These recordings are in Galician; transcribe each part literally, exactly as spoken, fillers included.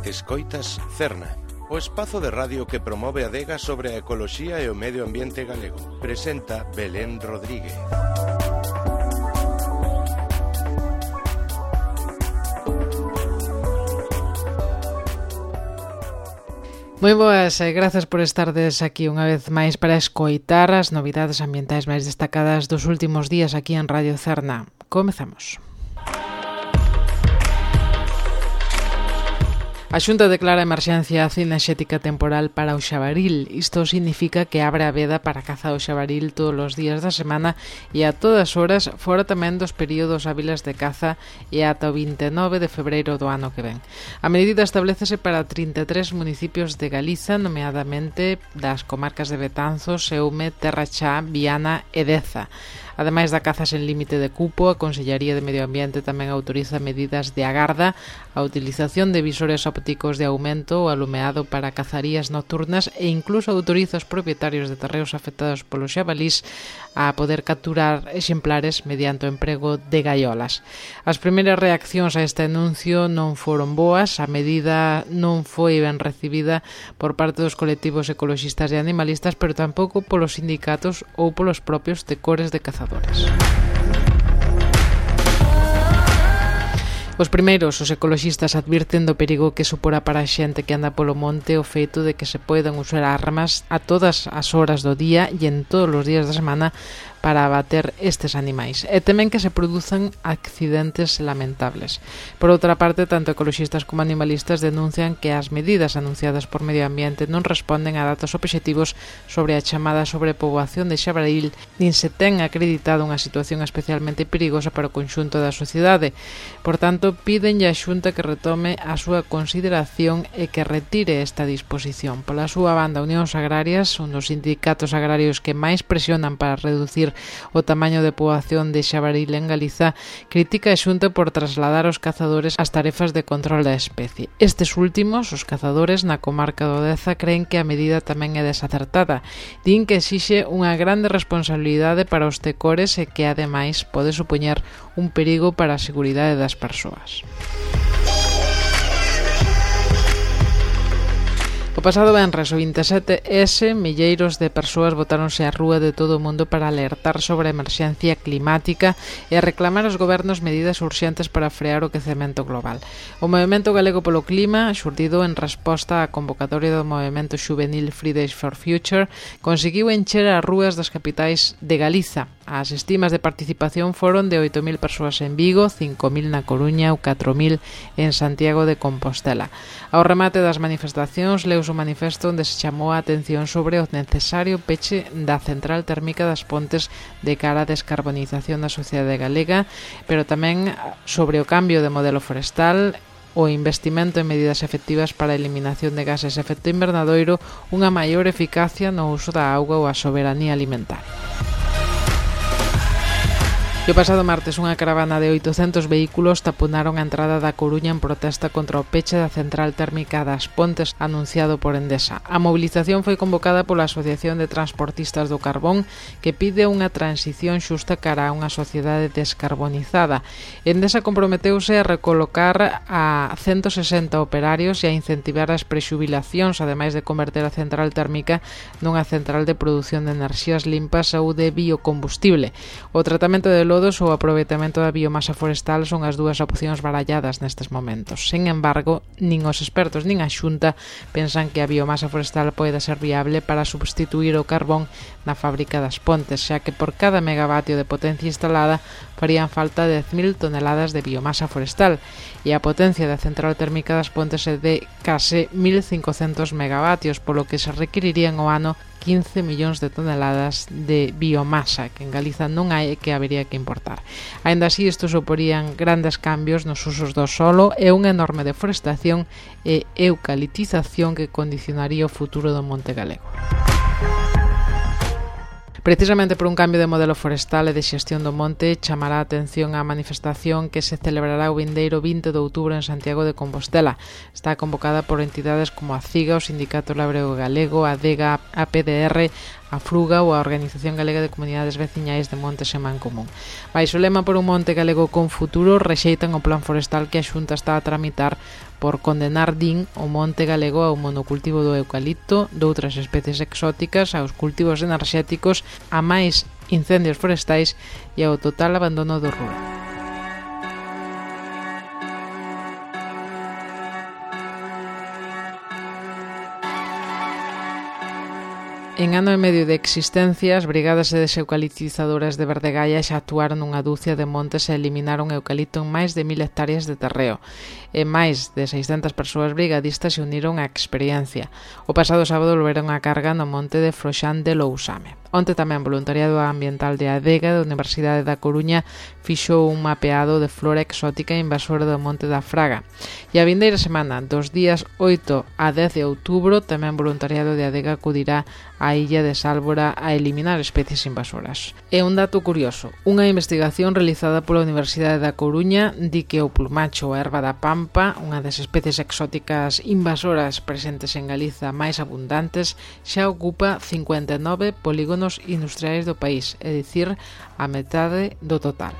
Escoitas Cerna, o espazo de radio que promove a adega sobre a ecoloxía e o medio ambiente galego. Presenta Belén Rodríguez. Moi boas e grazas por estardes aquí unha vez máis para escoitar as novidades ambientais máis destacadas dos últimos días aquí en Radio Cerna. Comezamos. A Xunta declara emerxencia cinexética temporal para o xabaril. Isto significa que abre a veda para a caza do xabaril todos os días da semana e a todas horas, fora tamén dos períodos hábiles de caza e ata o vinte e nove de febreiro do ano que ven. A medida establecese para trinta e tres municipios de Galiza, nomeadamente das comarcas de Betanzos, Eume, Terra Chá, Viana e Deza. Ademais da caza sen límite de cupo, a Consellería de Medio Ambiente tamén autoriza medidas de agarda, a utilización de visores ópticos de aumento, o alumeado para cazarías nocturnas e incluso autoriza aos propietarios de terreos afectados polos xabalís a poder capturar exemplares mediante o emprego de gaiolas. As primeiras reaccións a este anuncio non foron boas, a medida non foi ben recibida por parte dos colectivos ecoloxistas e animalistas, pero tampouco polos sindicatos ou polos propios decores de cazadores. Os primeiros, os ecoloxistas, advirten do perigo que suporá para a xente que anda polo monte o feito de que se poidan usar armas a todas as horas do día e en todos os días da semana para abater estes animais, e temen que se produzan accidentes lamentables. Por outra parte, tanto ecoloxistas como animalistas denuncian que as medidas anunciadas por Medio Ambiente non responden a datos obxectivos sobre a chamada sobrepoboación de xabaril, nin se ten acreditado unha situación especialmente perigosa para o conxunto da sociedade. Por tanto, pídenlle á Xunta que retome a súa consideración e que retire esta disposición. Pola súa banda, Unións Agrarias, un dos sindicatos agrarios que máis presionan para reducir o tamaño de poboación de xabaril en Galiza, critica a Xunta por trasladar os cazadores as tarefas de control da especie. Estes últimos, os cazadores na comarca do Deza, creen que a medida tamén é desacertada. Din que exixe unha grande responsabilidade para os tecores e que, ademais, pode supoñer un perigo para a seguridade das persoas. O pasado venres, o vinte e sete ese, milleiros de persoas botáronse á rúa de todo o mundo para alertar sobre a emerxencia climática e a reclamar aos gobernos medidas urxentes para frear o quecemento global. O Movemento Galego polo Clima, xurdido en resposta á convocatoria do movemento xuvenil Fridays for Future, conseguiu encher as rúas das capitais de Galiza. As estimas de participación foron de oito mil persoas en Vigo, cinco mil na Coruña ou catro mil en Santiago de Compostela. Ao remate das manifestacións, leus o manifesto onde se chamou a atención sobre o necesario peche da central térmica das Pontes de cara á descarbonización da sociedade galega, pero tamén sobre o cambio de modelo forestal, o investimento en medidas efectivas para a eliminación de gases de efecto invernadoiro, unha maior eficacia no uso da auga ou a soberanía alimentaria. E o pasado martes, unha caravana de oitocentos vehículos taponaron a entrada da Coruña en protesta contra o peche da central térmica das Pontes anunciado por Endesa. A mobilización foi convocada pola Asociación de Transportistas do Carbón, que pide unha transición xusta cara a unha sociedade descarbonizada. Endesa comprometeuse a recolocar a ciento sesenta operarios e a incentivar as prexubilacións, ademais de converter a central térmica nunha central de produción de enerxías limpas ou de biocombustible. O tratamento de lodos ou o aproveitamento da biomasa forestal son as dúas opcións baralladas nestes momentos. Sen embargo, nin os expertos nin a Xunta pensan que a biomasa forestal poida ser viable para substituir o carbón na fábrica das Pontes, xa que por cada megavatio de potencia instalada farían falta dez mil toneladas de biomasa forestal e a potencia da central térmica das Pontes é de case mil cincocentos megavatios, polo que se requirirían ao ano quince millóns de toneladas de biomasa, que en Galiza non hai e que habería que importar. Aínda así, isto suporían grandes cambios nos usos do solo e unha enorme deforestación e eucaliptización que condicionaría o futuro do monte galego. Precisamente por un cambio de modelo forestal e de xestión do monte, chamará a atención a manifestación que se celebrará o vindeiro vinte de outubro en Santiago de Compostela. Está convocada por entidades como a CIGA, o Sindicato Labrego Galego, a ADEGA, a P D R, a Fruga ou a Organización Galega de Comunidades Veciñais de Montes en Mancomún. Baixo o lema por un monte galego con futuro, rexeitan o plan forestal que a Xunta está a tramitar por condenar, din, o monte galego ao monocultivo do eucalipto, de outras especies exóticas, aos cultivos enerxéticos, a máis incendios forestais e ao total abandono do rural. En ano e medio de existencia, as brigadas deseucaliptizadoras de Verdegaia xa actuaron nunha dúcia de montes e eliminaron eucalipto en máis de mil hectáreas de terreo. E máis de seiscentas persoas brigadistas se uniron á experiencia. O pasado sábado volveron a carga no monte de Froxán de Lousame. Onte tamén voluntariado ambiental de Adega da Universidade da Coruña fixou un mapeado de flora exótica invasora do Monte da Fraga. E a vindeira semana, dos días oito a dez de outubro, tamén voluntariado de Adega acudirá á illa de Sálvora a eliminar especies invasoras. E un dato curioso, unha investigación realizada pola Universidade da Coruña di que o plumacho ou erva da pampa, unha das especies exóticas invasoras presentes en Galiza máis abundantes, xa ocupa cincuenta e nove polígonos industriais do país, é dicir, a metade do total.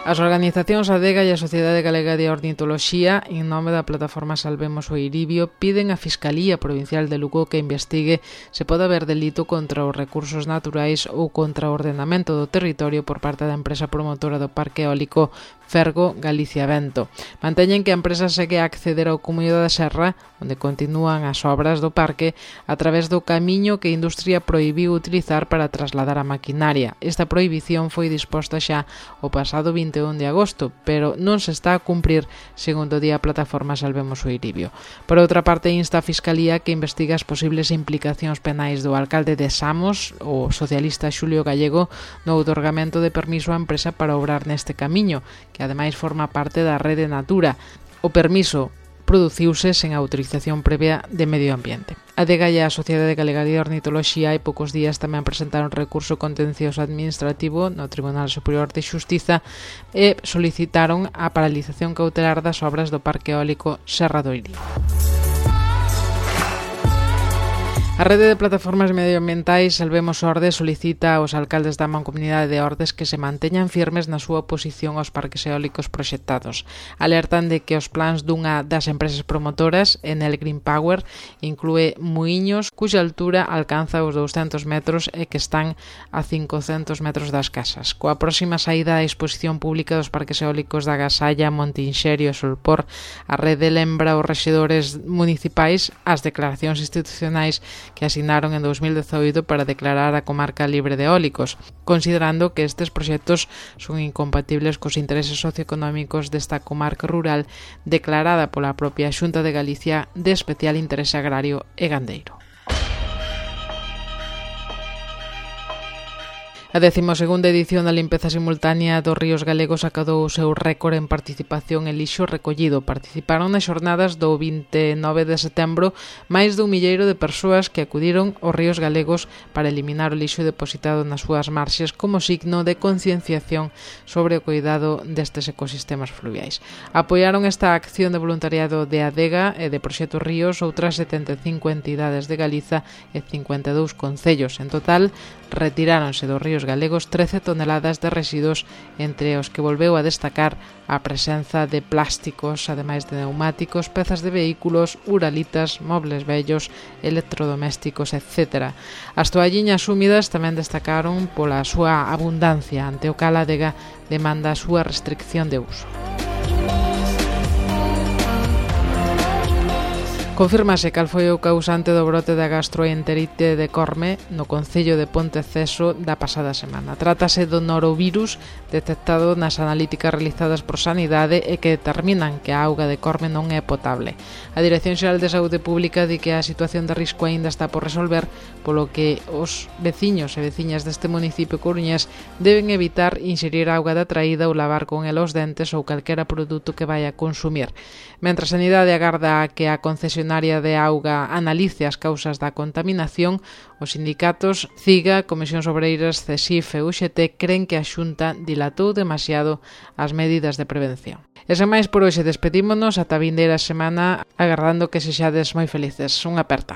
As organizacións Adega e a Sociedade Galega de Ornitoloxía, en nome da plataforma Salvemos o Iribio, piden á Fiscalía Provincial de Lugo que investigue se pode haber delito contra os recursos naturais ou contra o ordenamento do territorio por parte da empresa promotora do Parque Eólico Fergo Galicia Vento. Manteñen que a empresa segue a acceder ao Cumuño da Serra, onde continúan as obras do parque, a través do camiño que a industria prohibiu utilizar para trasladar a maquinaria. Esta prohibición foi disposta xa o pasado vinte e un de agosto, pero non se está a cumprir, segundo di a plataforma Salvemos o Iribio. Por outra parte, insta a Fiscalía que investiga as posibles implicacións penais do alcalde de Samos, o socialista Xulio Gallego, no outorgamento de permiso á empresa para obrar neste camiño, que ademais forma parte da Rede Natura. O permiso produciuse sen autorización previa de Medio Ambiente. A Adega e a Sociedade Galega de Ornitoloxía hai poucos días tamén presentaron recurso contencioso administrativo no Tribunal Superior de Xustiza e solicitaron a paralización cautelar das obras do Parque Eólico Serra do Irio. A rede de plataformas medioambientais Salvemos Ordes solicita aos alcaldes da Mancomunidade de Ordes que se manteñan firmes na súa oposición aos parques eólicos proxectados. Alertan de que os plans dunha das empresas promotoras, Enel Green Power, inclúe muiños cuxa altura alcanza os douscentos metros e que están a cincocentos metros das casas. Coa próxima saída á exposición pública dos parques eólicos da Gasalla, Montinxerio e Solpor, a rede lembra aos rexedores municipais as declaracións institucionais que asinaron en dos mil dezoito para declarar a comarca libre de eólicos, considerando que estes proxectos son incompatibles cos intereses socioeconómicos desta comarca rural declarada pola propia Xunta de Galicia de especial interese agrario e gandeiro. A decimosegunda edición da limpeza simultánea dos ríos galegos acadou o seu récord en participación e lixo recollido. Participaron nas xornadas do vinte e nove de setembro máis dun milleiro de persoas que acudiron aos ríos galegos para eliminar o lixo depositado nas súas marxes como signo de concienciación sobre o cuidado destes ecosistemas fluviais. Apoiaron esta acción de voluntariado de Adega e de Proxecto Ríos outras setenta e cinco entidades de Galiza e cincuenta e dous concellos. En total, retiráronse dos ríos galegos trece toneladas de residuos, entre os que volveu a destacar a presenza de plásticos, ademais de neumáticos, pezas de vehículos, uralitas, mobles vellos, electrodomésticos, etcétera. As toalliñas húmidas tamén destacaron pola súa abundancia, ante o cal a Adega demanda a súa restricción de uso. Confírmase cal foi o causante do brote da gastroenterite de Corme no concello de Ponteceso da pasada semana. Trátase do norovirus detectado nas analíticas realizadas por Sanidade e que determinan que a auga de Corme non é potable. A Dirección Xeral de Saúde Pública di que a situación de risco aínda está por resolver, polo que os veciños e veciñas deste municipio coruñés deben evitar inxerir auga da traída ou lavar con ela os dentes ou calquera produto que vai a consumir. Mentre a Sanidade agarda a que a concesión concesionaria de auga analice as causas da contaminación, os sindicatos CIGA, Comisións Obreiras, CESIF e U X T creen que a Xunta dilatou demasiado as medidas de prevención. E sen máis por hoxe, despedímonos ata a vindeira semana agardando que sexades moi felices. Unha aperta.